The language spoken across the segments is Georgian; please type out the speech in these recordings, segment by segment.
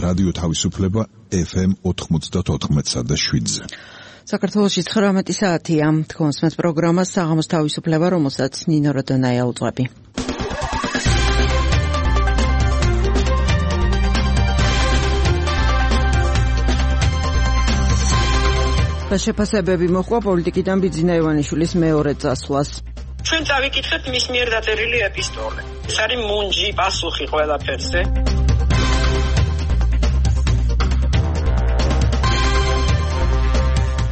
რადიო თავისუფლება FM 94.7-ზე. საქართველოში 19 საათია. თქვენს მეც პროგრამას საღამოს თავისუფლება, რომელსაც ნინო როდონაია უძღვები. შეფასებები მოხდა პოლიტიკიდან ბიძინა ივანიშვილის მეორე წასვლას. ჩვენ წავიკითხეთ მის მიერ დაწერილი ეპისტოლე. ეს არის მუნჯი პასუხი ყველაფერზე.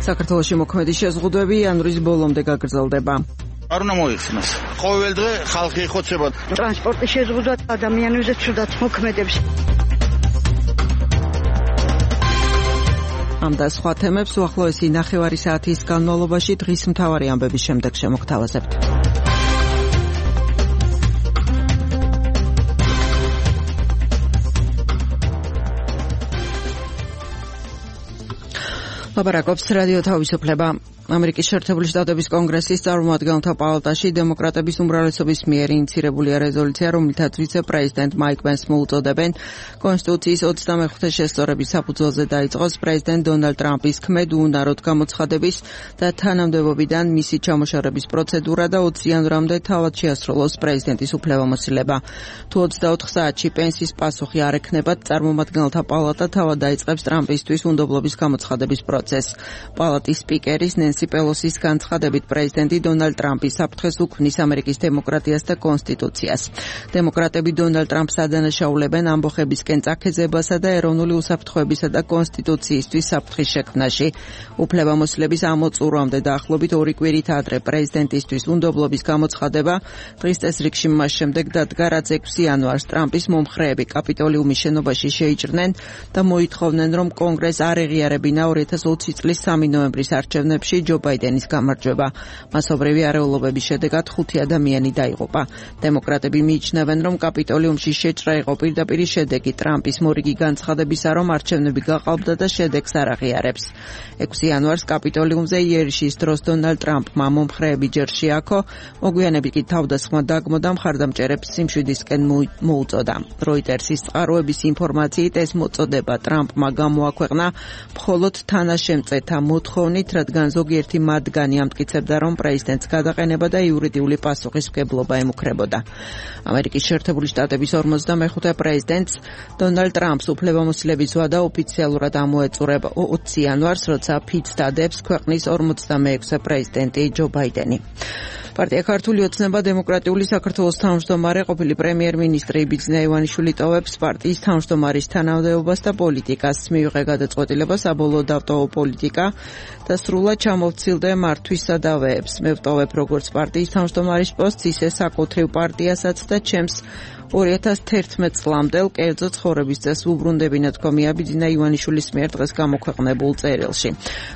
საქართველოში მოქმედი შეზღუდვები იანვრის ბოლომდე გაგრძელდება. არ უნდა მოიხსნას. ყოველ დღე ხალხი ეხოცება. ტრანსპორტის შეზღუდვა ადამიანებზე ცუდად მოქმედებს. ამ და სხვა თემებს უახლოესი ნახევარი საათის განმავლობაში დღის მთავარი ამბების შემდეგ შემოგთავაზებთ. ლაპარაკობს რადიო თავისუფლება. ამერიკის შეერთებული შტატების კონგრესის წარმომადგენელთა პალატაში დემოკრატების უმრავლესობის მიერ ინიცირებულია რეზოლუცია, რომლითაც ვიცე-პრეზიდენტ მაიკ პენსს მოუწოდებენ კონსტიტუციის 25-ე შესწორების საფუძველზე დაიწყოს პრეზიდენტ დონალდ ტრამპის ქმედ უუნაროდ გამოცხადების და თანამდებობიდან მისი ჩამოშორების პროცედურა და 20 იანვრამდე თავად შეასრულოს პრეზიდენტის უფლებამოსილება. თუ 24 საათში პენსის პასუხი არ ექნებათ, წარმომადგენელთა პალატა თავად დაიწყებს ტრამპისთვის უნდობლობის გამოცხადების პროცესს. პალატის სპიკერის ნენსი პელოსის განცხადებით პრეზიდენტი დონალდ ტრამპი საფრთხეს უქმნის ამერიკის დემოკრატიას და კონსტიტუციას. დემოკრატები დონალდ ტრამპს ადანაშაულებენ ამბოხებისკენ წაქეზებასა და ეროვნული უსაფრთხოებისა და კონსტიტუციისთვის საფრთხის შექმნაში. უფლებამოსილების ამოწურვამდე დაახლოებით 2 კვირით ადრე პრეზიდენტისთვის უნდობლობის გამოცხადება დღის წესრიგში მას შემდეგ დადგა, რაც 6 იანვარს ტრამპის მომხრეები კაპიტოლიუმის შენობაში შეიჭრნენ და მოითხოვნენ, რომ კონგრესს არ ეღიარებინა 2020 წლის 3 ნოემბრის არჩევნებში ჯო ბაიდენის გამარჯვება. მასობრივი არეულობების შედეგად 5 ადამიანი დაიღუპა. დემოკრატები მიიჩნევენ, რომ კაპიტოლიუმში შეჭრა იყო პირდაპირი შედეგი ტრამპის მორიგი განცხადებისა, რომ არჩევნები გაყალბდა და შედეგს არ აღიარებს. 6 იანვარს კაპიტოლიუმზე იერიშის დროს დონალდ ტრამპმა მომხრეები ჯერ შეაქო, მოგვიანებით კი თავდასხმა დაგმო და მხარდამჭერებს სიმშვიდისკენ მოუწოდა. როიტერსის წყაროების ინფორმაციით ეს მოწოდება ტრამპმა გამოაქვეყნა მხოლოდ თანაშემწეთა მოთხოვნით, რადგან ზოგიერთი მათგანი ამტკიცებდა, რომ პრეზიდენტს გადაყენება და იურიდიული პასუხისმგებლობა ემუქრებოდა. ამერიკის შეერთებული შტატების 45 პრეზიდენტს დონალდ ტრამპს უფლებამოსილების ვადა ოფიციალურად ამოეწურება 20 იანვარს, როცა ფიცს დადებს ქვეყნის 46-ე პრეზიდენტი ჯო ბაიდენი. პარტია ქართული ოცნება დემოკრატიული საქართველოს თავმჯდომარე ყოფილი პრემიერ-მინისტრი ბიძინა ივანიშვილი ტოვებს პარტიის თავმჯდომარის თანამდებობას და პოლიტიკას. მიიღე გადაწყვეტილება საბოლოოდ დავტოვო პოლიტიკა და სრულად ჩამოვცილდე მართვის სადავეებს. მე ვტოვებ როგორც პარტიის თავმჯდომარის პოსტს, ისე საკუთრივ პარტიასაც და ჩემს 2011 წლამდელ კერძო ცხოვრების წესს უბრუნდებინა, თქვა ბიძინა ივანიშვილის მიერ დღეს გამოქვეყნებულ წერილში.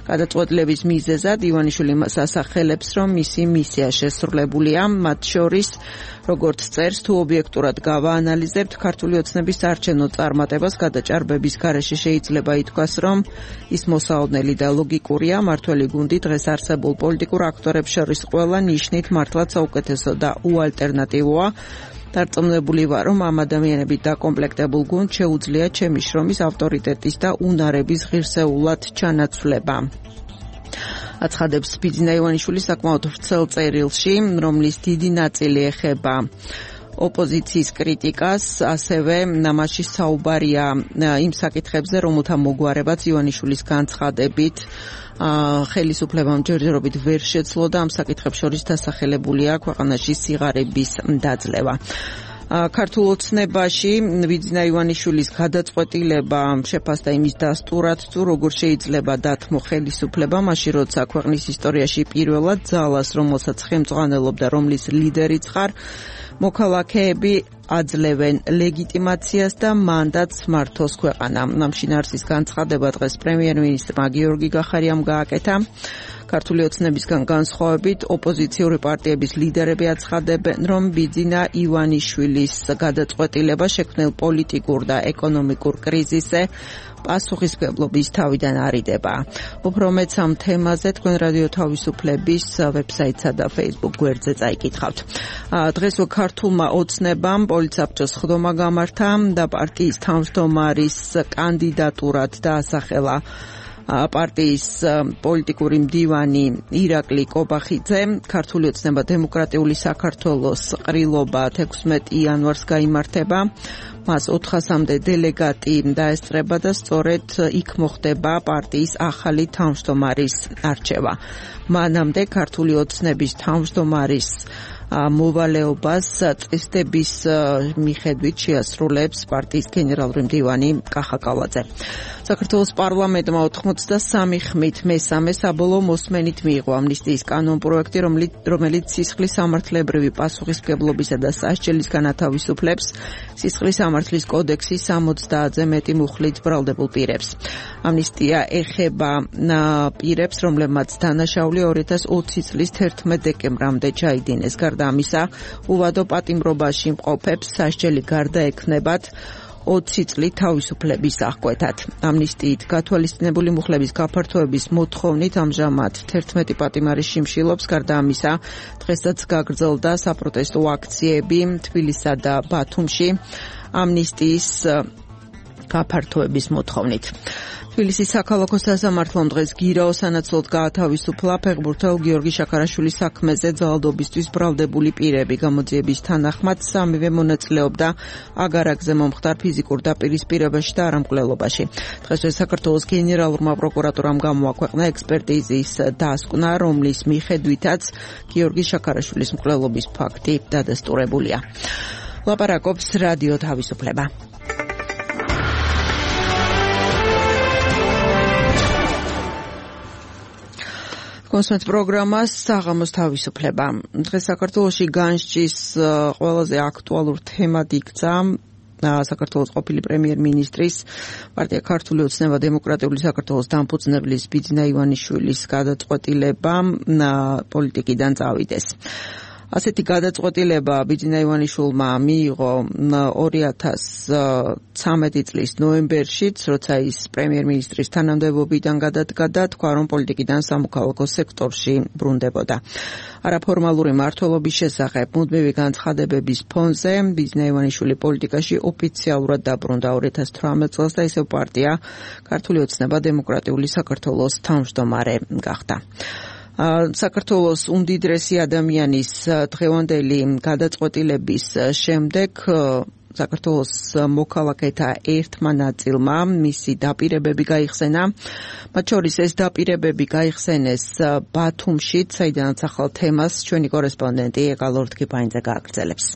გადაწყვეტილების მიზეზად ივანიშვილი მას ასახელებს, რომ მისი მისია შესრულებულია, მათ შორის როგორც წერს, თუ ობიექტურად გავაანალიზებთ ქართული ოცნების საარჩევნო წარმატებას გადაჭარბების გარეშე შეიძლება ითქვას, რომ ის მოსაოდნელი და ლოგიკურია. მართველი გუნდი დღეს არსებულ პოლიტიკურ აქტორებს შორის ყველა ნიშნით მართლაც საუკეთესო და უალტერნატივოა. დარწმუნებული ვარ, რომ ამ ადამიანებით დაკომპლექტებულ გუნდს შეუძლია ჩემი შრომის ავტორიტეტის და უნარების ღირსეულად ჩანაცვლება. აცხადებს ბიძინა ივანიშვილი საკმაოდ ვრცელ წერილში, რომლის დიდი ნაწილი ეხება ოპოზიციის კრიტიკას, ასევე მასში საუბარია იმ საკითხებზე, რომელთა მოგვარებაც ივანიშვილის განცხადებით ხელისუფლებამ ჯერჯერობით ვერ შეძლო და ამ საკითხებს შორის დასახელებულია ქვეყანაში სიღარიბის დაძლევა. ქართულ ოცნებაში ბიძინა ივანიშვილის გადაწყვეტილება შეფასდა იმის დასტურად, თუ როგორ შეიძლება დათმო ხელისუფლება, მაშინ როცა ქვეყნის ისტორიაში პირველად ძალას, რომელსაც ხელმძღვანელობდა, რომლის ლიდერიც ხარ, მოქალაქეები აძლევენ ლეგიტიმაციას და მანდატს მართოს ქვეყანა. ამ შინაარსის განცხადება დღეს პრემიერ-მინისტრმა გიორგი გახარიამ გააკეთა. ქართული ოცნებისგან განსხვავებით ოპოზიციური პარტიების ლიდერები აცხადებენ, რომ ბიძინა ივანიშვილის გადაწყვეტილება შექმნილ პოლიტიკურ და ეკონომიკურ კრიზისზე პასუხისმგებლობის თავიდან არიდება. უფრო მეც ამ თემაზე თქვენ რადიო თავისუფლების ვებსაიტსა და Facebook გვერდზე წაიკითხავთ. დღეს ქართულმა ოცნებამ პოლიცაბჭოს ხდომა გამართა და პარტიის თავმჯდომარის კანდიდატურად დაასახელა პარტიის პოლიტიკური მდივანი ირაკლი კობახიძე. ქართული ოცნება დემოკრატიული საქართველოს ყრილობა 16 იანვარს გაიმართება. მას 400-მდე დელეგატი დაესწრება და სწორედ იქ მოხდება პარტიის ახალი თავმჯდომარის არჩევა. მანამდე ქართული ოცნების თავმჯდომარის მოვალეობას წესდების მიხედვით შეასრულებს პარტიის გენერალური მდივანი კახა კალაძე. საქართველოს პარლამენტმა 83 ხმით მესამე საბოლოო მოსმენით მიიღო ამნისტიის კანონპროექტი, რომელიც სისხლის სამართლებრივი პასუხისმგებლობისა და სასჯელის განათავისუფლებს სისხლის სამართლის კოდექსის 70-ზე მეტი მუხლით ბრალდებულ პირებს. ამნისტია ეხება პირებს, რომლებმაც დანაშაული 2020 წლის 11 დეკემბრამდე ჩაიდინეს. გარდა ამისა, უვადო პატიმრობაში მყოფებს სასჯელი გარდაექმნებათ 20 წლით თავისუფლების აღკვეთად. ამნისტიით გათვალისწინებული მუხლების გაფართოების მოთხოვნით ამჟამად 11 პატიმარი შიმშილობს. გარდა ამისა, დღესაც გაგრძელდა საპროტესტო აქციები თბილისსა და ბათუმში ამნისტიის გაფართოების მოთხოვნით. თბილისის საქალაქო სასამართლომ დღეს გირაო სანაცვლოდ გაათავისუფლა ფეხბურთელ გიორგი შაქარაშვილის საქმეზე ძალადობისთვის ბრალდებული პირები. გამოძიების თანახმად სამივე მონაწილეობდა აგარაკზე მომხდარ ფიზიკურ დაპირისპირებაში და არამკვლელობაში. დღესვე საქართველოს გენერალურმა პროკურატურამ გამოაქვეყნა ექსპერტიზის დასკვნა, რომლის მიხედვითაც გიორგი შაქარაშვილის მკვლელობის ფაქტი დადასტურებულია. ლაპარაკობს რადიო თავისუფლება. კონსვენც პროგრამას საღამოს თავისუფლება. დღეს საქართველოში განსჯის ყველაზე აქტუალურ თემად იქცა საქართველოს ყოფილი პრემიერ-მინისტრის პარტია ქართული ოცნება დემოკრატიული საქართველოს დამფუძნებლის ბიძინა ივანიშვილის გადაწყვეტილება პოლიტიკიდან წავიდეს. ასეთი გადაწყვეტილება ბიძინა ივანიშვილმა მიიღო 2013 წლის ნოემბერშიც, როცა ის პრემიერ-მინისტრის თანამდებობიდან გადადგა და თქვა, რომ პოლიტიკიდან სამოქალაქო სექტორში ბრუნდებოდა. არაფორმალური მმართველობის შესახებ მუდმივი განცხადებების ფონზე ბიძინა ივანიშვილი პოლიტიკაში ოფიციალურად დაბრუნდა 2018 წელს და ისევ პარტია ქართული ოცნება დემოკრატიული საქართველოს თავმჯდომარე გახდა. საქართველოს უმდიდრესი ადამიანის დღევანდელი გადაწყვეტილების შემდეგ საქართველოს მოქალაქეთა ერთმა ნაწილმა მისი დაპირებები გაიხსენა. მათ შორის ეს დაპირებები გაიხსენეს ბათუმშიც, საიდანაც ახალ თემას ჩვენი კორესპონდენტი ეკალორდ კიპაინძე გააგრძელებს.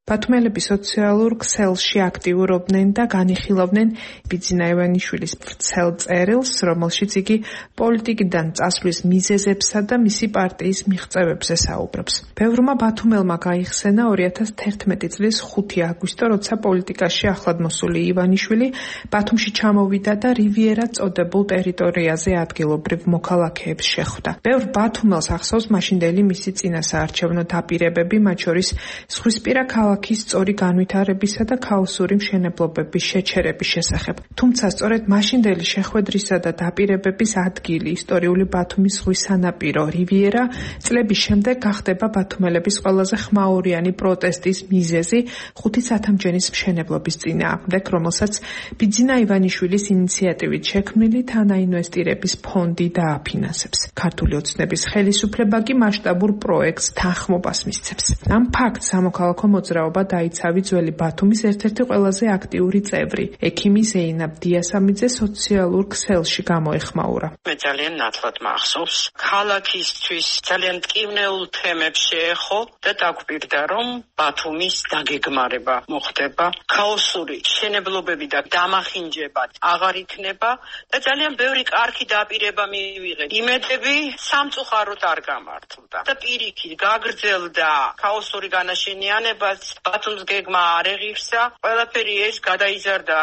ბათუმელები სოციალურ ქსელში აქტიურობდნენ და განიხილავდნენ ბიძინა ივანიშვილის ვრცელ წერილს, რომელშიც იგი პოლიტიკიდან წასვლის მიზეზებსა და მისი პარტიის მიღწევებზე საუბრობს. ბევრმა ბათუმელმა გაიხსენა 2011 წლის 5 აგვისტო, როცა პოლიტიკაში ახლად მოსული ივანიშვილი ბათუმში ჩამოვიდა და რივიერა წოდებულ ტერიტორიაზე ადგილობრივ მოქალაქეებს შეხვდა. ბევრ ბათუმელს ახსოვს მაშინდელი მისი წინასაარჩევნო დაპირებები, მათ შორის ზღვისპირა ქალაქის სწორი განვითარებისა და ქაოსური მშენებლობების შეჩერების შესახებ. თუმცა სწორედ მაშინდელი შეხვედრისა და დაპირებების ადგილი, ისტორიული ბათუმის ზღვის სანაპირო რივიერა, წლების შემდეგ გახდება ბათუმელების ყველაზე ხმაურიანი პროტესტის მიზეზი 5 სათამჯენის მშენებლობის წინააღმდეგ, რომელსაც ბიძინა ივანიშვილის ინიციატივით შექმნილი თანაინვესტირების ფონდი დააფინანსებს. ქართული ოცნების ხელისუფლება კი მასშტაბურ პროექტს თანხმობას მისცემს. ამ ფაქტს სამოქალაქო მოძრაობა დაიცავი ძველი ბათუმის ერთ-ერთი ყველაზე აქტიური წევრი, ექიმი ზეინაბ დიასამიძე სოციალურ ქსელში გამოეხმაურა. მე ძალიან ნათლად მახსოვს, ქალაქისთვის ძალიან მტკივნეულ თემებს შეეხო და დაგვირდა, რომ ბათუმის დაგეგმარება მოხდება, ქაოსური მშენებლობები და დამახინჯება აღარ იქნება და ძალიან ბევრი კარგი დაპირება მივიღეთ. იმედები სამწუხაროდ არ გამართლდა და პირიქით გაგრძელდა ქაოსური განაშენიანებაც ბათუმს გეგმა არ ეღირსა, ყველაფერი ეს გადაიზარდა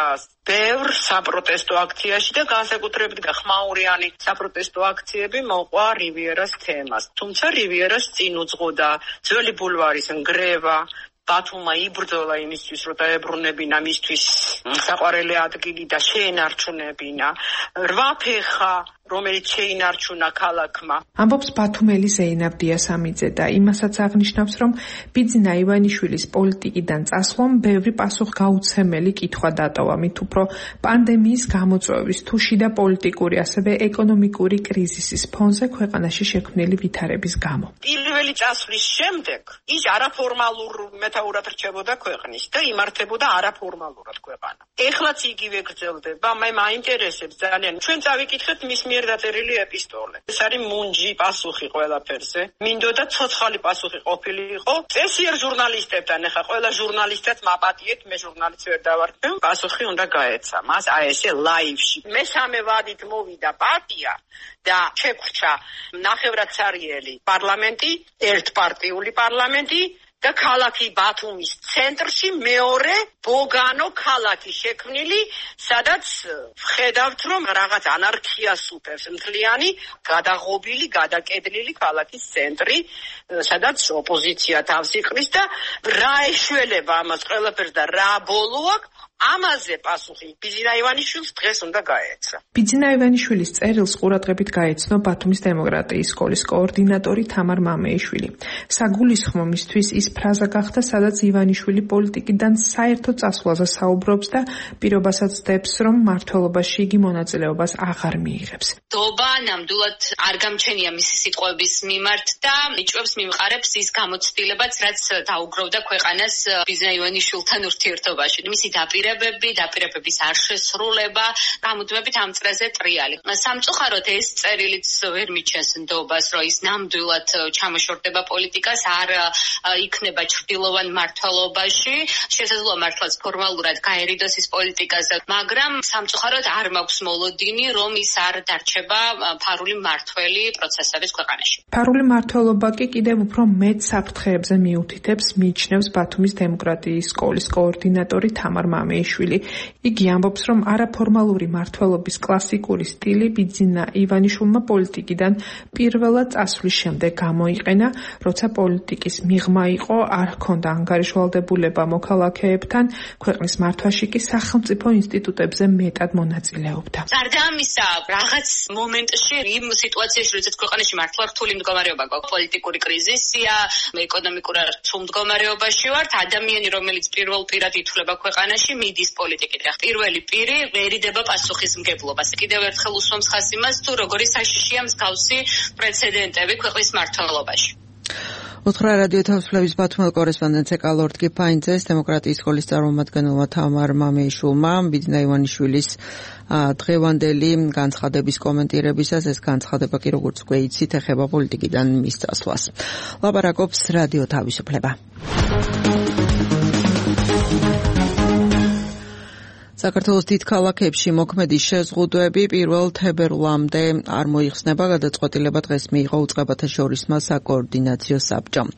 ბევრ საპროტესტო აქციაში და განსაკუთრებით ხმაურიანი საპროტესტო აქციები მოყვა რივიერას თემას. თუმცა რივიერას წინ უძღოდა ძველი ბულვარის ნგრევა, ბათუმმა იბრძოლა იმისთვის, რომ დაებრუნებინა მისთვის საყვარელი ადგილი და შეენარჩუნებინა 8 ფეხა, რომელიც შეინარჩუნა ქალაქმა. ამბობს ბათუმელი ზეინაბ დიასამიძე და იმასაც აღნიშნავს, რომ ბიძინა ივანიშვილის პოლიტიკიდან წასვლამ ბევრი პასუხგაუცემელი კითხვა დატოვა, მით უფრო პანდემიის გამოწვევის თუ შიდა პოლიტიკური, ასევე ეკონომიკური კრიზისის ფონზე ქვეყანაში შექმნილი ვითარების გამო. პირველი წასვლის შემდეგ ის არაფორმალურ მეთაურად რჩებოდა ქვეყნის და იმართებოდა არაფორმალურად ქვეყანა. ეხლაც იგივე გრძელდება, მაინტერესებს ძალიან. ჩვენ წავიკითხეთ მის მიერ დაწერილი ეპისტოლე. ეს არის მუნჯი პასუხი ყველაფერზე. მინდოდა ცოცხალი პასუხი ყოფილიყო. წესიერ ჟურნალისტებთან, ეხა ყველა ჟურნალისტად მაპატიეთ, მე ჟურნალისტ ვერ დავარქვი. პასუხი უნდა გაეცა. მას ესე ლაივში. მესამე ვადით მოვიდა პარტია და შეგვრჩა ნახევრადსარიელი პარლამენტი, ერთპარტიული პარლამენტი და ქალაქი ბათუმის ცენტრში მეორე ბოგანო ქალაქი შექმნილი, სადაც ვხედავთ, რომ რაღაც ანარქიას უტევს მთლიანი, გადაღობილი, გადაკედლილი ქალაქის ცენტრი, სადაც ოპოზიცია თავს იყრის და რა ეშველება ამას ყველაფერს და რა ბოლო აქვს, ამაზე პასუხი ბიძინა ივანიშვილს დღეს უნდა გაეცა. ბიძინა ივანიშვილის წერილს ყურადღებით გაეცნო ბათუმის დემოკრატიის სკოლის координаტორი თამარ მამეიშვილი. საგულისხმო მისთვის ის ფრაზა გახდა, სადაც ივანიშვილი პოლიტიკიდან საერთო წასვლაზე საუბრობს და პირობასაც დებს, რომ მმართველობაში იგი მონაწილეობას აღარ მიიღებს. დობა ნამდვილად არ გამჩენია მისი სიტყვების მიმართ და იჭვებს მიმყარებს ის გამოცდილებაც, რაც დაუგროვდა ქვეყანას ბიძინა ივანიშვილთან ურთიერთობაში. მისი დაპირებების არ შესრულება, გამუდმებით ამ წრეზე ტრიალი. სამწუხაროდ ეს წერილიც ვერ მიჩენს ნდობას, რომ ის ნამდვილად ჩამოშორდება პოლიტიკას, არ იქნება ჩრდილოვან მმართველობაში, შესაძლოა მართლაც ფორმალურად გაერიდოს ის პოლიტიკაზე, მაგრამ სამწუხაროდ არ მაქვს მოლოდინი, რომ ის არ დარჩება ფარული მმართველი პროცესების ქვეყანაში. ფარული მმართველობა კი კიდევ უფრო მეტ საფრთხეებზე მიუთითებს, მიიჩნევს ბათუმის დემოკრატიის სკოლის координаტორი თამარ მამეიშვილი. იგი ამბობს, რომ არაფორმალური მმართველობის კლასიკური სტილი ბიძინა ივანიშვილმა პოლიტიკიდან პირველად წასვლის შემდეგ გამოიყენა, როცა პოლიტიკის მიღმა იყო, არ ჰქონდა ანგარიშვალდებულება მოქალაქეებთან, ქვეყნის მართვაში კი სახელმწიფო ინსტიტუტებზე მეტად მონაწილეობდა. გარდა ამისა, რაღაც მომენტში იმ სიტუაციაში, როდესაც ქვეყანაში მართლა რთული მდგომარეობა გვაქვს, პოლიტიკური კრიზისია, ეკონომიკური რთულ მდგომარეობაში ვართ, ადამიანი, რომელიც პირველ პირად ითვლება ქვეყანაში, მიდის პოლიტიკით. პირველი პირი ვერიდება პასუხისმგებლობას. კიდევ ერთხელ უსვამს ხაზს იმას, თუ როგორი საშიშია მსგავსი პრეცედენტები ქვეყნის მმართველობაში. უთხრა რადიო თავისუფლების ბათუმელ კორესპონდენტს ეკალორდ კიფაინძეს, დემოკრატიის სკოლის წარმომადგენელმა თამარ მამეიშვილმა ბიძინა ივანიშვილის დღევანდელი განცხადების კომენტირებისას, ეს განცხადება კი როგორც გვეიცით, ეხება პოლიტიკიდან მის წასვლას. ლაპარაკობს რადიო თავისუფლება. საქართველოს დიდ ქალაქებში მოქმედი შეზღუდვები 1 თებერვლამდე არ მოიხსნება, გადაწყვეტილება დღეს მიიღო უწყებათა შორისმა საკოორდინაციო საბჭომ.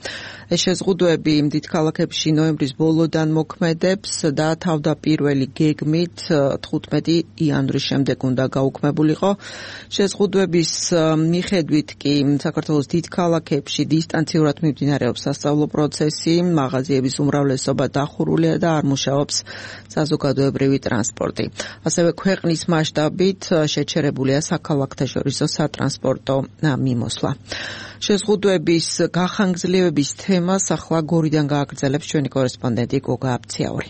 ეს შეზღუდვები დიდ ქალაქებში ნოემბრის ბოლოდან მოქმედებს და თავდაპირველი გეგმით 15 იანვრის შემდეგ უნდა გაუქმებულიყო. შეზღუდვების მიხედვით კი საქართველოს დიდ ქალაქებში დისტანციურად მიმდინარეობს სასწავლო პროცესი, მაღაზიების უმრავლესობა დახურულია და არ მუშაობს საზოგადოებრივი ტრანსპორტი. ასევე ქვეყნის მასშტაბით შეჩერებულია საქალაქთაშორისო სატრანსპორტო მიმოსვლა. შეზღუდვების გახანგრძლივების თემას ახლა გორიდან გააგრძელებს ჩვენი კორესპონდენტი გოგა აბციაური.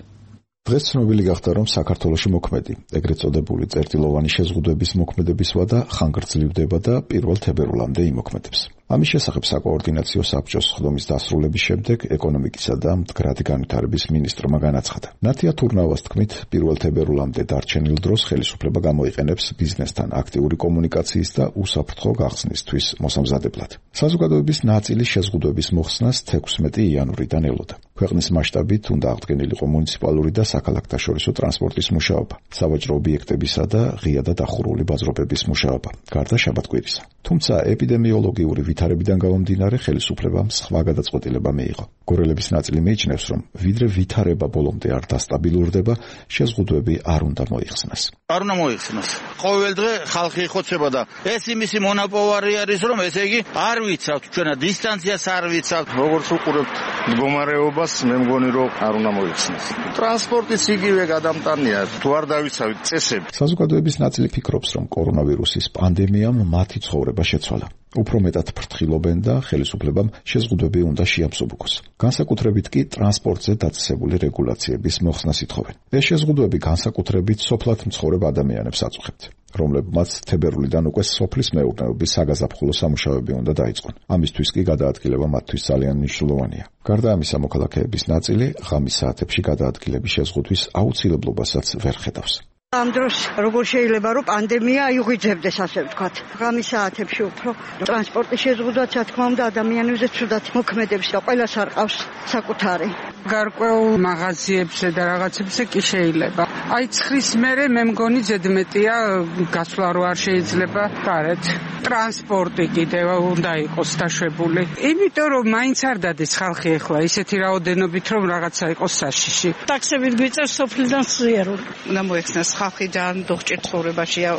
დღეს ცნობილი გახდა, რომ საქართველოში მოქმედი, ეგრეთ წოდებული წერტილოვანი შეზღუდვების მოქმედების ვადა ხანგრძლივდება და 1 თებერვლამდე იმოქმედებს. ამის შესახებ საკოორდინაციო საბჭოს სხდომის დასრულების შემდეგ ეკონომიკისა და მდგრადი განვითარების მინისტრმა განაცხადა. ნათია თურნავას თქმით, 1 თებერვლამდე დარჩენილ დროს ხელისუფლება გამოიყენებს ბიზნესთან აქტიური კომუნიკაციის და უსაფრთხო გახსნისთვის მოსამზადებლად. საზოგადოების ნაწილი შეზღუდვების მოხსნას 16 იანვრიდან ელოდა. ქვეყნის მასშტაბით უნდა აღდგენილიყო მუნიციპალური და საქალაქთაშორისო ტრანსპორტის მუშაობა, სავაჭრო ობიექტებისა და ღია და დახურული ბაზრობების მუშაობა, გარდა შაბათ-კვირისა. თუმცა ეპიდემიოლოგიური ვითარებიდან გამომდინარე ხელისუფლებამ სხვა გადაწყვეტილება მიიღო. გორელების ნაწილი მიიჩნევს, რომ ვიდრე ვითარება ბოლომდე არ დასტაბილურდება, შეზღუდვები არ უნდა მოიხსნას. არ უნდა მოიხსნას. ყოველ დღე ხალხი იხოცება და ეს იმისი მონოპოვარი არის, რომ ესე იგი არ ვიცავთ ჩვენა დისტანციას არ ვიცავთ. როგორც უყურებთ მდგომარეობას, მე მგონი რომ არ უნდა მოიხსნას. ტრანსპორტიც იგივე გადამტანია, თუ არ დავიცავით წესები. საზოგადოების ნაწილი ფიქრობს, რომ კორონავირუსის პანდემიამ მათი ცხოვრება შეცვალა. უფრო მეტად ფრთხილობენ და ხელისუფლებამ შეზღუდვები უნდა შეამსუბუქოს. განსაკუთრებით კი ტრანსპორტზე დაწესებული რეგულაციების მოხსნას ითხოვენ. ეს შეზღუდვები განსაკუთრებით სოფლად მცხოვრებ ადამიანებს აწუხებთ, რომლებმაც თებერვლიდან უკვე სოფლის მეურნეობის საგაზაფხულო სამუშაოები უნდა დაიწყონ. ამისთვის კი გადაადგილება მათთვის ძალიან მნიშვნელოვანია. გარდა ამისა, მოქალაქეების ნაწილი ღამის საათებში გადაადგილების შეზღუდვის აუცილებლობასაც ვერ ხედავს. ამ დროს როგორ შეიძლება რომ პანდემია იღვიძებდეს, ასე ვთქვათ. ღამის საათებში უფრო ტრანსპორტის შეზღუდვაც, რა თქმა უნდა, ადამიანებზე ცუდად მოქმედებს და ყველას არ ყავს საკუთარი. გარკვეულ მაღაზიებზე და რაღაცებზე კი შეიძლება. აი ცხრის მერე მე მგონი ზედმეტია გასვლა რო არ შეიძლება გარეთ. ტრანსპორტი კიდევ უნდა იყოს დაშვებული. იმიტომ რომ მაინც არ დადეს ხალხი ახლა ისეთი რაოდენობით რომ რაღაცა იყოს საშიში. ტაქსებით გვიწევს სოფლიდან სიარული. უნდა მოეხსნას ხალხი ძალიან დოღჭირ ცხოვრებაშია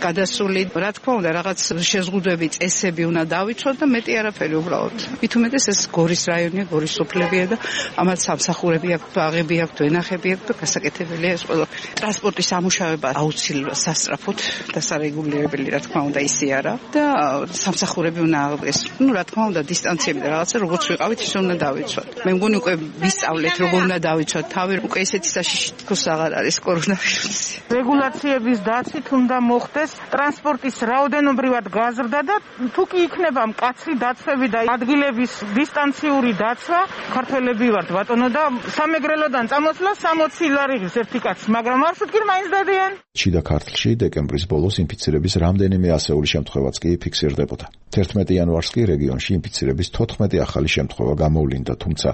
გადასული. რა თქმა უნდა, რაღაც შეზღუდვები, წესები უნდა დავიცვათ და მეტი არაფერი უბრალოდ. მით უმეტეს ეს გორის რაიონია, გორის სოფლებია და ამათ სამსახურები აქვს, ბაღები აქვს, ვენახები აქვს და გასაკეთებელია ეს ყველაფერი. ტრანსპორტის სამუშაოება აუცილებლად სასწრაფოდ და სარეგულირებელი, რა თქმა უნდა, ისე არა და სამსახურები უნდა ეს, რა თქმა უნდა, დისტანციები და რაღაცა როგორც ვიყავით, ისე უნდა დავიცვათ. მე მგონი უკვე ვისწავლეთ როგორ უნდა დავიცვათ თავი, უკვე ესეთი საშიში თქოს აღარ არის კორონავირუსი. რეგულაციების დაცვით უნდა მოხდეს ტრანსპორტის რაოდენობრივად გაზრდა და თუ კი იქნება მკაცრი დაცვები და ადგილების დისტანციური დაცვა, ქართველები ვართ ბატონო და სამეგრელოდან წამოსვლა 60 ლარი ღირს ერთი კაცი, მაგრამ მარშრუტკი მაინც დადიან. შიდა ქართლში დეკემბრის ბოლოს ინფიცირების რამდენიმე ასეული შემთხვევაც კი ფიქსირდებოდა. 11 იანვარს კი რეგიონში ინფიცირების 14 ახალი შემთხვევა გამოვლინდა, თუმცა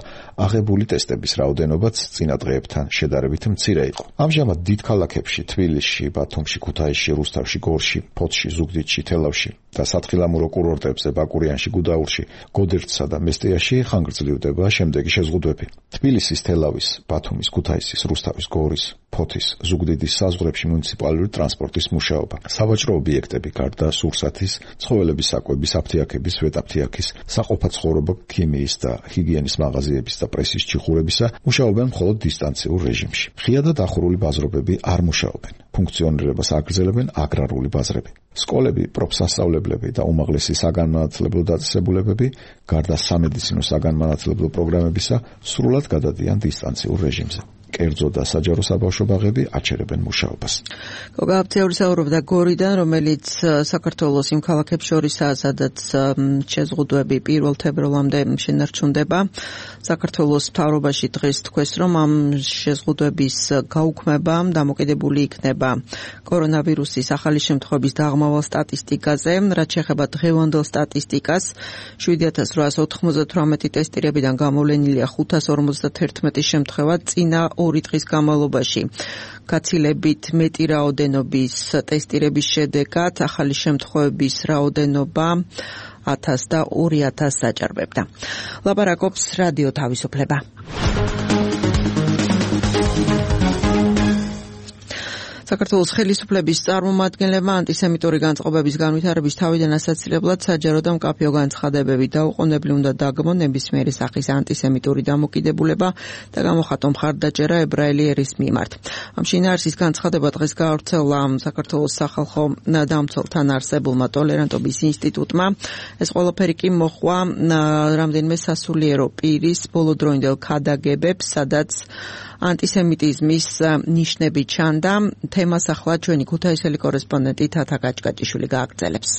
აღებული ტესტების რაოდენობაც წინა დღეებთან შედარებით მცირე იყო. ამჟამად დიდ ქალაქებში თბილისში, ბათუმში, ქუთაისში, რუსთავში, გორში, ფოთში, ზუგდიდში, თელავში და სათხილამურო კურორტებზე, ბაკურიანში, გუდაურში, გოდერძსა და მესტიაში ხანგრძლივდება შემდეგი შეზღუდვები. თბილისის, თელავის, ბათუმის, ქუთაისის, რუსთავის, გორის, ფოთის, ზუგდიდის საზღვრებში მუნიციპალური ტრანსპორტის მუშაობა, სავაჭრო ობიექტები, გარდა სურსათის, ცხოველების საკვების, აფთიაქების, ვეტაფთიაქის, საყოფაცხოვრებო ქიმიის და ჰიგიენის მაღაზიების და პრესის ჩიხურებისა მუშაობენ მხოლოდ დისტანციურ რეჟიმში. ღია და დახურული ბაზრობები არ მუშაობენ. ფუნქციონირებას აგრძელებენ აგრარული ბაზრები. სკოლები, პროფსასწავლებლები და უმაღლესი საგანმანათლებლო დაწესებულებები, გარდა სამედიცინო საგანმანათლებლო პროგრამებისა, სრულად გადადიან დისტანციურ რეჟიმზე. კერძო და საჯარო საბავშვო ბაღები აჩერებენ მუშაობას. გოგაბცეული საუბრობდა გორიდან, რომელიც საქართველოს იმ ქალაქებს შორისაა, სადაც შეზღუდვები 1 თებერვლამდე შენარჩუნდება. საქართველოს მთავრობაში დღეს თქვეს, რომ ამ შეზღუდვების გაუქმებამ დამოკიდებული იქნება კორონავირუსის ახალი შემთხვევების დაღმავალ სტატისტიკაზე, რაც შეეხება დღევანდელ სტატისტიკას. 7898 ტესტირებიდან გამოვლენილია 551 შემთხვევა წინა 2 დღის განმავლობაში. გაცილებით მეტი რაოდენობის ტესტირების შედეგად ახალი შემთხვევების რაოდენობა 1000 და 2000 საჭარბებდა. ლაპარაკობს რადიო თავისუფლება. საქართველოს ხელისუფლების წარმომადგენლებმა ანტისემიტური განწყობების განვითარების თავიდან ასაცილებლად საჯარო და მკაფიო განცხადებები დაუყოვნებლივ უნდა დაგმონ ნებისმიერი სახის ანტისემიტური დამოკიდებულება და გამოხატონ მხარდაჭერა ებრაელი ერის მიმართ. ამ შინაარსის განცხადება დღეს გაავრცელა საქართველოს სახალხო დამცველთან არსებულმა ტოლერანტობის ინსტიტუტმა. ეს ყველაფერი კი მოჰყვა რამდენიმე სასულიერო პირის ბოლოდროინდელ ქადაგებებს, სადაც ანტისემიტიზმის ნიშნები ჩანდა. თემას ახლა ჩვენი ქუთაისელი კორესპონდენტი თათა გაჭკაჭიშვილი გააგრძელებს.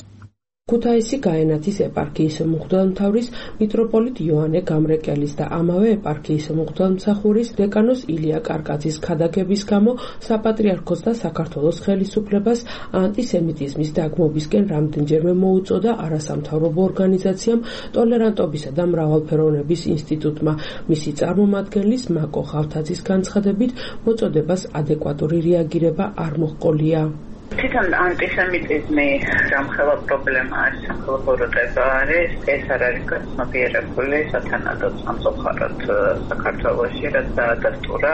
ქუთაისი გაენათის ეპარქიის მღვდელმთავრის მიტროპოლიტ იოანე გამრეკელის და ამავე ეპარქიის მღვდელმსახურის დეკანოს ილია კარკაძის ქადაგების გამო საპატრიარქოს და საქართველოს ხელისუფლებას ანტისემიტიზმის დაგმობისკენ რამდენჯერმე მოუწოდა არასამთავრობო ორგანიზაციამ ტოლერანტობისა და მრავალფეროვნების ინსტიტუტმა. მისი წარმომადგენლის მაკო ხავთაძის განცხადებით მოწოდებას ადეკვატური რეაგირება არ მოჰყოლია. თვითონ ანტისემიტიზმი სამხელო პრობლემა არის, სამხელო ბოროტება არის, ეს არ არის გაცნობიერებული სათანადოდ სამწუხაროდ საქართველოში, რაც დაადასტურა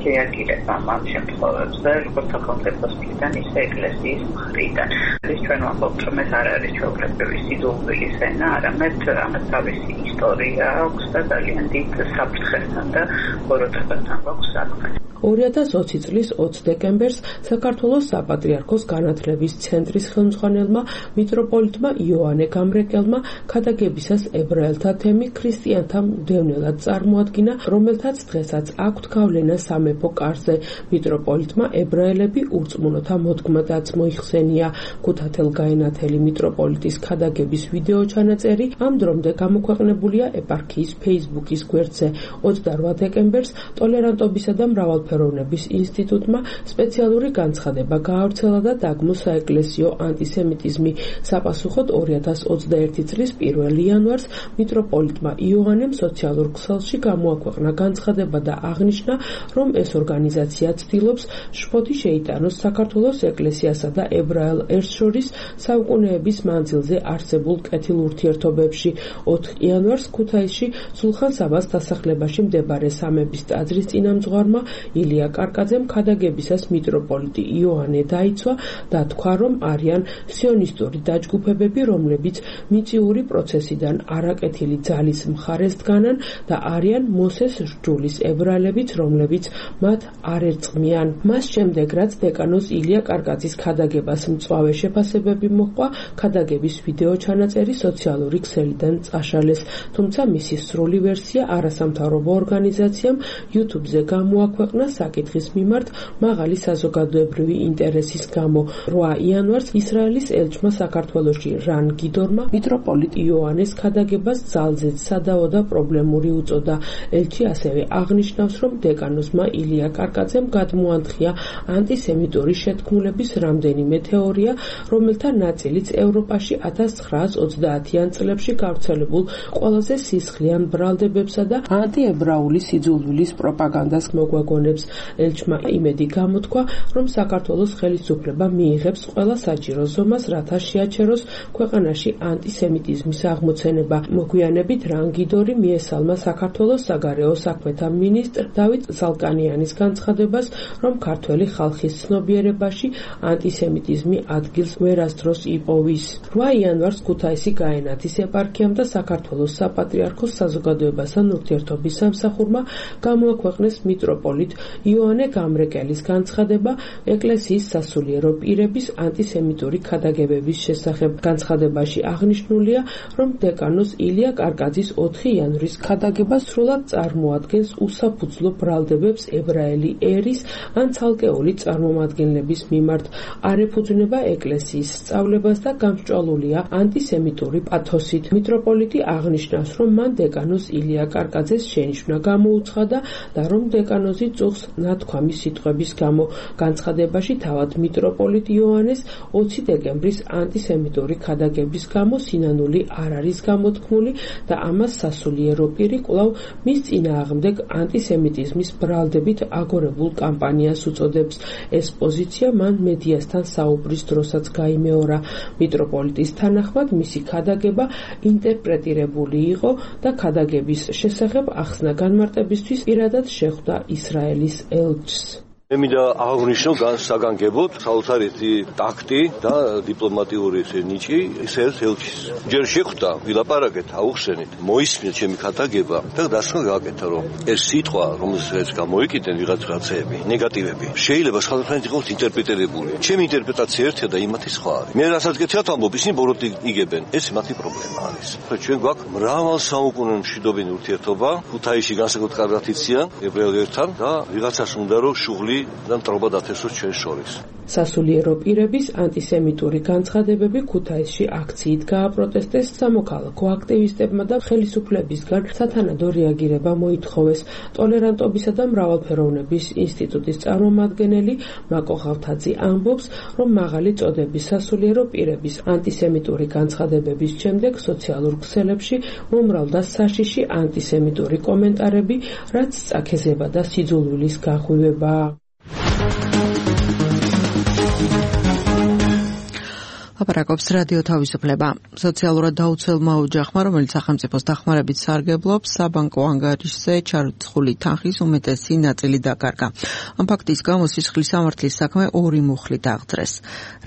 რეაგირება ამ შემთხვევებზე, როგორც სახელმწიფოს მხრიდან, ისე ეკლესიის მხრიდან. ის ჩვენ ვამბობთ, რომ ეს არ არის ჩვეულებრივი სიძულვილის ენა, არამედ ამას თავისი ისტორია აქვს და ძალიან დიდ საფრთხესთან და ბოროტებასთან გვაქვს საქმე. 2020 წლის 20 დეკემბერს საქართველოს საპატრიარქოს განათლების ცენტრის ხელმძღვანელმა მიტროპოლიტმა იოანე გამრეკელმა ქადაგებისას ებრაელთა თემი ქრისტიანთა მდევნელად წარმოადგინა, რომელთაც დღესაც აქვთ გავლენა სამეფო კარზე. მიტროპოლიტმა ებრაელები ურწმუნოთა მოდგმადაც მოიხსენია. ქუთათელ-გაენათელი მიტროპოლიტის ქადაგების ვიდეო ჩანაწერი ამ დრომდე გამოქვეყნებულია ეპარქიის Facebook-ის გვერდზე. 28 დეკემბერს ტოლერანტობისა და მრავალფეროვნების ინსტიტუტმა სპეციალური განცხადება გაავრცელა და დაგმო საეკლესიო ანტისემიტიზმი. საპასუხოდ 2021 წლის 1 იანვარს მიტროპოლიტმა იოანემ სოციალურ ქსელში გამოაქვეყნა განცხადება და აღნიშნა, რომ ეს ორგანიზაცია ცდილობს შფოთი შეიტანოს საქართველოს ეკლესიასა და ებრაელ ერთს შორის საუკუნეების მანძილზე არსებულ კეთილ ურთიერთობებში. 4 იანვარს ქუთაისში სულხან-საბას დასახლებაში მდებარე სამების ტაძრის წინამძღვარმა ილია კარკაძემ ქადაგებისას მიტროპოლიტი იოანე დაიცვა და თქვა, რომ არიან სიონისტური დაჯგუფებები, რომლებიც მიწიური პროცესიდან არაკეთილი ძალის მხარეს დგანან და არიან მოსეს სჯულის ებრაელებიც, რომლებიც მათ არ ერწყმიან. მას შემდეგ, რაც დეკანოს ილია კარკაძის ქადაგებას მწვავე შეფასებები მოჰყვა, ქადაგების ვიდეო ჩანაწერი სოციალური ქსელიდან წაშალეს, თუმცა მისი სრული ვერსია არასამთავრობო ორგანიზაციამ YouTube-ზე გამოაქვეყნა საკითხის მიმართ მაღალი საზოგადოებრივი ინტერესის გამო. 8 იანვარს ისრაელის ელჩმა საქართველოში რან გიდორმა მიტროპოლიტ იოანეს ქადაგებას ძალზედ სადაო და პრობლემური უწოდა. ელჩი ასევე აღნიშნავს, რომ დეკანოსმა ილია კარკაძემ გადმოანთხია ანტისემიტური შეთქმულების რამდენიმე თეორია, რომელთა ნაწილიც ევროპაში 1930-იან წლებში გავრცელებულ ყველაზე სისხლიან ბრალდებებსა და ანტიებრაული სიძულვილის პროპაგანდას მოგვაგონებს. ელჩმა იმედი გამოთქვა, რომ საქართველოს ხელისუფლება მიიღებს ყველა საჭირო ზომას, რათა შეაჩეროს ქვეყანაში ანტისემიტიზმის აღმოცენება. მოგვიანებით რან გიდორი მიესალმა საქართველოს საგარეო საქმეთა მინისტრ დავით ზალკანიანის განცხადებას, რომ ქართველი ხალხის ცნობიერებაში ანტისემიტიზმი ადგილს ვერასდროს იპოვის. 8 იანვარს ქუთაისი გაენათის ეპარქიამ და საქართველოს საპატრიარქოს საზოგადოებასთან ურთიერთობის სამსახურმა გამოაქვეყნეს მიტროპოლიტ იოანე გამრეკელის განცხადება ეკლესიის სასულიერო პირების ანტისემიტური ქადაგებების შესახებ. განცხადებაში აღნიშნულია, რომ დეკანოს ილია კარკაძის 4 იანვრის ქადაგება სრულად წარმოადგენს უსაფუძვლო ბრალდებებს ებრაელი ერის ან ცალკეული წარმომადგენლების მიმართ, არ ეფუძნება ეკლესიის სწავლებას და გამსჭვალულია ანტისემიტური პათოსით. მიტროპოლიტი აღნიშნავს, რომ მან დეკანოს ილია კარკაძეს შენიშვნა გამოუცხადა და რომ დეკანოზი წუხს ნათქვამი სიტყვების გამო. განცხადებაში თავად მიტროპოლიტ იოანეს 20 დეკემბრის ანტისემიტური ქადაგების გამო სინანული არ არის გამოთქმული და ამას სასულიერო პირი კვლავ მის წინააღმდეგ ანტისემიტიზმის ბრალდებით აგორებულ კამპანიას უწოდებს. ეს პოზიცია მან მედიასთან საუბრის დროსაც გაიმეორა. მიტროპოლიტის თანახმად მისი ქადაგება ინტერპრეტირებული იყო და ქადაგების შესახებ ახსნა განმარტებისთვის პირადად შეხვდა ისრაელის ელჩს. მე მინდა აღვნიშნო საგანგებოდ საოცარი ტაქტი და დიპლომატიური ნიჭი ისრაელის ელჩის. ჯერ შეხვდა, ვილაპარაკეთ, აუხსენით, მოისმინეთ ჩემი ქადაგება და დასმა გააკეთა, რომ ეს სიტყვა, რომელსაც გამოიკიდნენ ვიღაცები, ნეგატივები, შეიძლება სხვადასხვა იყოს ინტერპრეტირებული. ჩემი ინტერპრეტაცია ერთია და იმათი სხვა არის. მე რასაც გეცათ ამბობ, ისინი ბოროტი იგებენ. ეს მათი პრობლემა არის. ჩვენ გვაქვს მრავალ საუკუნე მშვიდობიანი ურთიერთობა, ქუთაისში განსაკუთრებით კარგად იციან ებრაელ ერთთან და ვიღაცას უნდა რომ შუღლი და მტრობა დათესოს ჩვენ შორის. სასულიერო პირების ანტისემიტური განცხადებები ქუთაისში აქციით გააპროტესტეს, სამოქალაქო აქტივისტებმა და ხელისუფლებისგან სათანადო რეაგირება მოითხოვეს. ტოლერანტობისა და მრავალფეროვნების ინსტიტუტის წარმომადგენელი მაკო ხავთაძე ამბობს, რომ მაღალი წოდების სასულიერო პირების ანტისემიტური განცხადებების შემდეგ სოციალურ ქსელებში მომრავლდა საშიში ანტისემიტური კომენტარები, რაც წაქეზება და სიძულვილის გაღვივება. ლაპარაკობს რადიო თავისუფლება. სოციალურად დაუცველმა ოჯახმა, რომელიც სახელმწიფოს დახმარებით სარგებლობს, საბანკო ანგარიშზე ჩარიცხული თანხის უმეტესი ნაწილი დაკარგა. ამ ფაქტის გამო სისხლის სამართლის საქმე ორი მუხლით აღძრეს.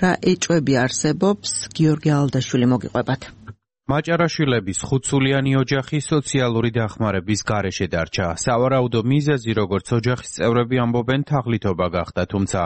რა ეჭვები არსებობს, გიორგი ალდაშვილი მოგიყვებათ. მაჭარაშვილების ხუთსულიანი ოჯახი სოციალური დახმარების გარეშე დარჩა. სავარაუდო მიზეზი, როგორც ოჯახის წევრები ამბობენ, თაღლითობა გახდა, თუმცა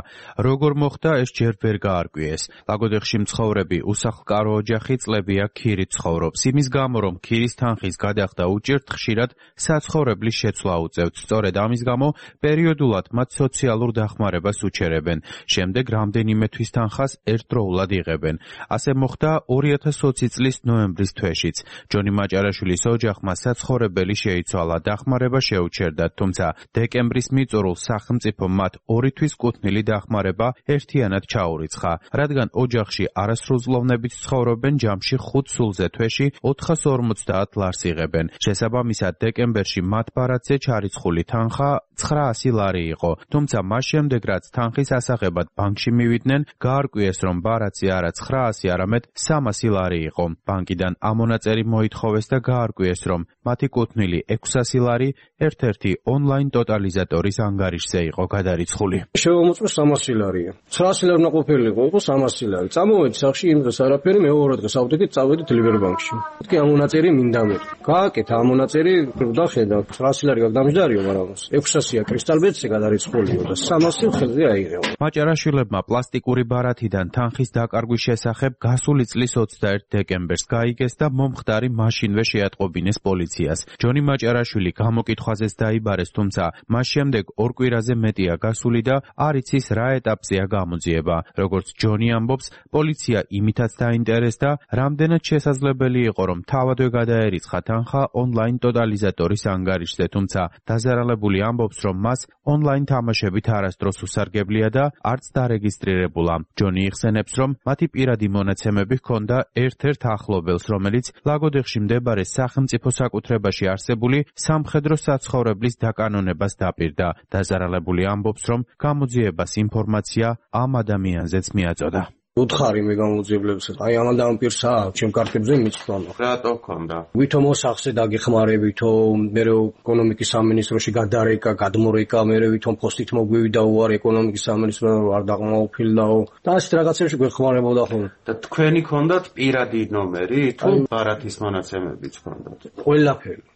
როგორ მოხდა, ეს ჯერ ვერ გაარკვიეს. ლაგოდეხში მცხოვრები უსახლკარო ოჯახი წლებია ქირით ცხოვრობს. იმის გამო, რომ ქირის თანხის გადახდა უჭირთ, ხშირად საცხოვრებლის შეცვლა უწევთ. სწორედ ამის გამო პერიოდულად მათ სოციალურ დახმარებას უჩერებენ. შემდეგ რამდენიმე თვის თანხას ერთდროულად იღებენ. ასე მოხდა 2020 წლის ნოემბრის თვეშიც. ჯონი მაჭარაშვილის ოჯახმა საცხოვრებელი შეიცვალა, დახმარება შეუჩერდა, თუმცა დეკემბრის მიწურულს სახელმწიფო მათ 2 თვის კუთვნილი დახმარება ერთიანად ჩაურიცხა. რადგან ოჯახში არასრულწლოვნებით ცხოვრობენ, ჯამში 5 სულზე თვეში 450 ლარს იღებენ. შესაბამისად, დეკემბერში მათ ბარათზე ჩარიცხული თანხა 900 ლარი იყო, თუმცა მას შემდეგ, რაც თანხის ასაღებად ბანკში მივიდნენ, გაარკვიეს, რომ ბარათზე არა 900, არამედ 300 ლარი იყო. ბანკიდან ამონაწერი მოითხოვეს და გაარკვიეს, რომ მათი კუთვნილი 600 ლარი ერთ-ერთი ონლაინ ტოტალიზატორის ანგარიშზე იყო გადარიცხული. შევამოწმე 300 ლარია. 900 ლარი უნდა ყოფილიყო, იყო 300 ლარი. წამოვედი სახში, იმ დღეს არაფერი, მეორე დღეს ავდექით, წავედით ლიბერბანკში. თქვი ამონაწერი მინდა მე. გააკეთ ამონაწერი, დახედა 900 ლარი გაგდამჯდარიო, მაგრამ 600-ია კრისტალბედზე გადარიცხულია და 300 ხელზე აიღეო. მაჭარაშვილებმა პლასტიკური ბარათიდან თანხის დაკარგვის შესახებ გასული წლის 21 დეკემბერს გაიგეს და მომხდარი მაშინვე შეატყობინეს პოლიციას. ჯონი მაჭარაშვილი გამოკითხვაზეც დაიბარეს, თუმცა მას შემდეგ 2 კვირაზე მეტია გასული და არ იცის რა ეტაპზეა გამოძიება. როგორც ჯონი ამბობს, პოლიცია იმითაც დაინტერესდა, რამდენად შესაძლებელი იყო, რომ თავადვე გადაერიცხა თანხა ონლაინ ტოტალიზატორის ანგარიშზე, თუმცა დაზარალებული ამბობს, რომ მას ონლაინ თამაშებით არასდროს უსარგებლია და არც დარეგისტრირებულა. ჯონი იხსენებს, რომ მათი პირადი მონაცემები ჰქონდა ერთ-ერთ ახლობელს, რომელიც ლაგოდეხში მდებარე სახელმწიფო საკუთრებაში არსებული სამხედრო საცხოვრებლის დაკანონებას დაპირდა. დაზარალებული ამბობს, რომ გამოძიებას ინფორმაცია ამ ადამიანზეც მიაწოდა. უთხარი მე გამოძიებლებს, აი ამ ადამიანს აქვს, ჩემ კარტებზე მიწყვალო. რატო ქონდა? ვითომ სახზე დაგეხმარებითო, მე ეკონომიკის სამინისტროში გადარეკა, გადმორეკა, მე ვითომ პოსტით მოგვივიდა უარ ეკონომიკის სამინისტროში არ დაღმაუფილდაო და ასეთ რაღაცებში გვეხმარებოდა ხოლმე. და თქვენი ქონდათ პირადი ნომერი თუ ბარათის მონაცემებიც ქონდათ?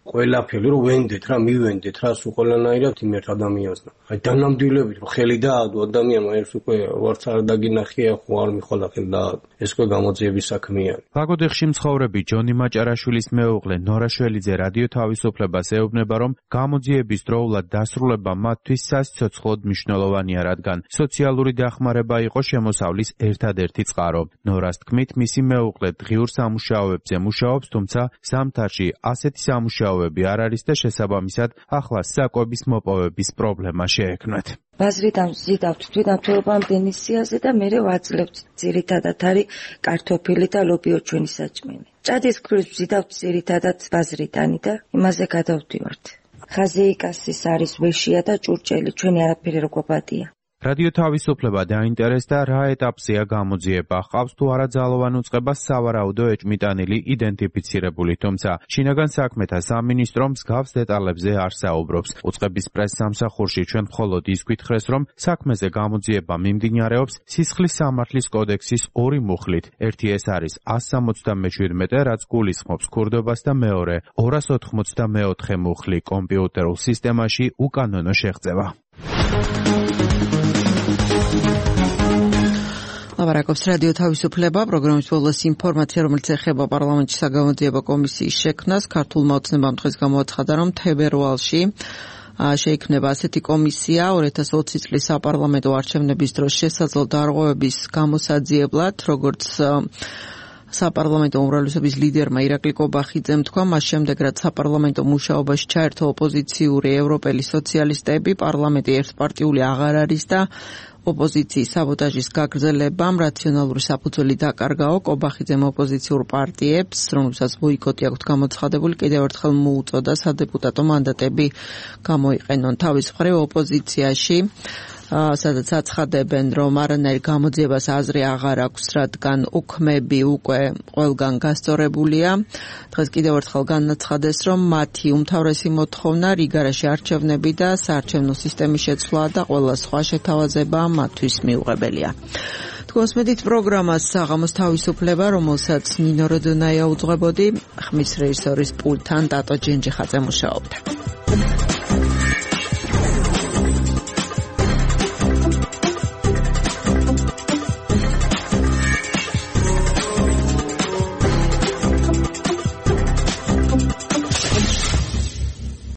ყველაფერი რომ ვენდეთ რა, მივენდეთ რა, სულ ყველანაირად იმ ერთ ადამიანს და აი დანამდვილებით რომ ხელი დაადო ადამიანმა, ეს უკვე ვარც არ დაგინახია, ხო არ მიხვალა ხელი და ეს უკვე გამოძიების საქმეა. ლაგოდეხში მცხოვრები ჯონი მაჭარაშვილის მეუღლე ნორა შველიძე რადიო თავისუფლებას ეუბნება, რომ გამოძიების დროულად დასრულება მათთვის სასიცოცხლოდ მნიშვნელოვანია, რადგან სოციალური დახმარება იყო შემოსავლის ერთადერთი წყარო. ნორას თქმით, მისი მეუღლე დღიურ სამუშაოებზე მუშაობს, თუმცა ზამთარში ასეთი სამუშაოები არ არის და შესაბამისად ახლა საკვების მოპოვების პრობლემა შეექმნათ. ბაზრიდან ვზიდავთ თვითმმართველობამდე სიაზე და მე ვაძლევთ ძირითადად არის კარტოფილი და ლობიო ჩვენი საჭმელი. ჭადის ქვრის ვზიდავთ ძირითადად ბაზრიდანი და იმაზე გადავდივართ. ხაზეიკასის არის ვეშია და ჭურჭელი, ჩვენი არაფერი რო გვაბადია. რადიო თავისუფლება დაინტერესდა, რა ეტაპზეა გამოძიება, ჰყავს თუ არა ძალოვან უწყებას სავარაუდო ეჭმიტანილი იდენტიფიცირებული, თუმცა შინაგან საქმეთა სამინისტრო მსგავს დეტალებზე არ საუბრობს. უწყების პრესსამსახურში ჩვენ მხოლოდ ის გვითხრეს, რომ საქმეზე გამოძიება მიმდინარეობს სისხლის სამართლის კოდექსის 2 მუხლით. ერთი ეს არის 177, რაც გულისხმობს ქურდობას და მეორე 284 მუხლი კომპიუტერულ სისტემაში უკანონო შეღწევა. ლაპარაკობს რადიო თავისუფლება, პროგრამის ბოლოს ინფორმაცია, რომელიც ეხება პარლამენტის საგამოძიებო კომისიის შექმნას. ქართულმა ოცნებამ დღეს გამოაცხადა, რომ თებერვალში შეიქმნება ასეთი კომისია 2020 წლის საპარლამენტო არჩევნების დროს შესაძლო დარღვევების გამოსაძიებლად, როგორც საპარლამენტო უმრავლესობის ლიდერმა ირაკლი კობახიძემ თქვა, მას შემდეგ, რაც საპარლამენტო მუშაობაში ჩაერთო ოპოზიციური ევროპელი სოციალისტები, პარლამენტი ერთპარტიული აღარ არის და ოპოზიციის საბოტაჟის გაგრძელებამ რაციონალური საფუძველი დაკარგაო. კობახიძემ ოპოზიციურ პარტიებს, რომლებსაც ბოიკოტი აქვთ გამოცხადებული, კიდევ ერთხელ მოუწოდა სადეპუტატო მანდატები გამოიყენონ. თავის მხრივ ოპოზიციაში სადაც აცხადებენ, რომ არანაირ გამოძიებას აზრი აღარ აქვს, რადგან უქმები უკვე ყველგან გასწორებულია. დღეს კიდევ ერთხელ განაცხადეს, რომ მათი უმთავრესი მოთხოვნა რიგარაში არჩევნები და საარჩევნო სისტემის შეცვლა და ყველა სხვა შეთავაზება მათთვის მიუღებელია. თქვენს მედით პროგრამას საღამოს თავისუფლება, რომელსაც ნინო როდონაია უძღვებოდი, ხმის რეჟისორის პულტთან დატო ჯენჯიხაძე მუშაობდა.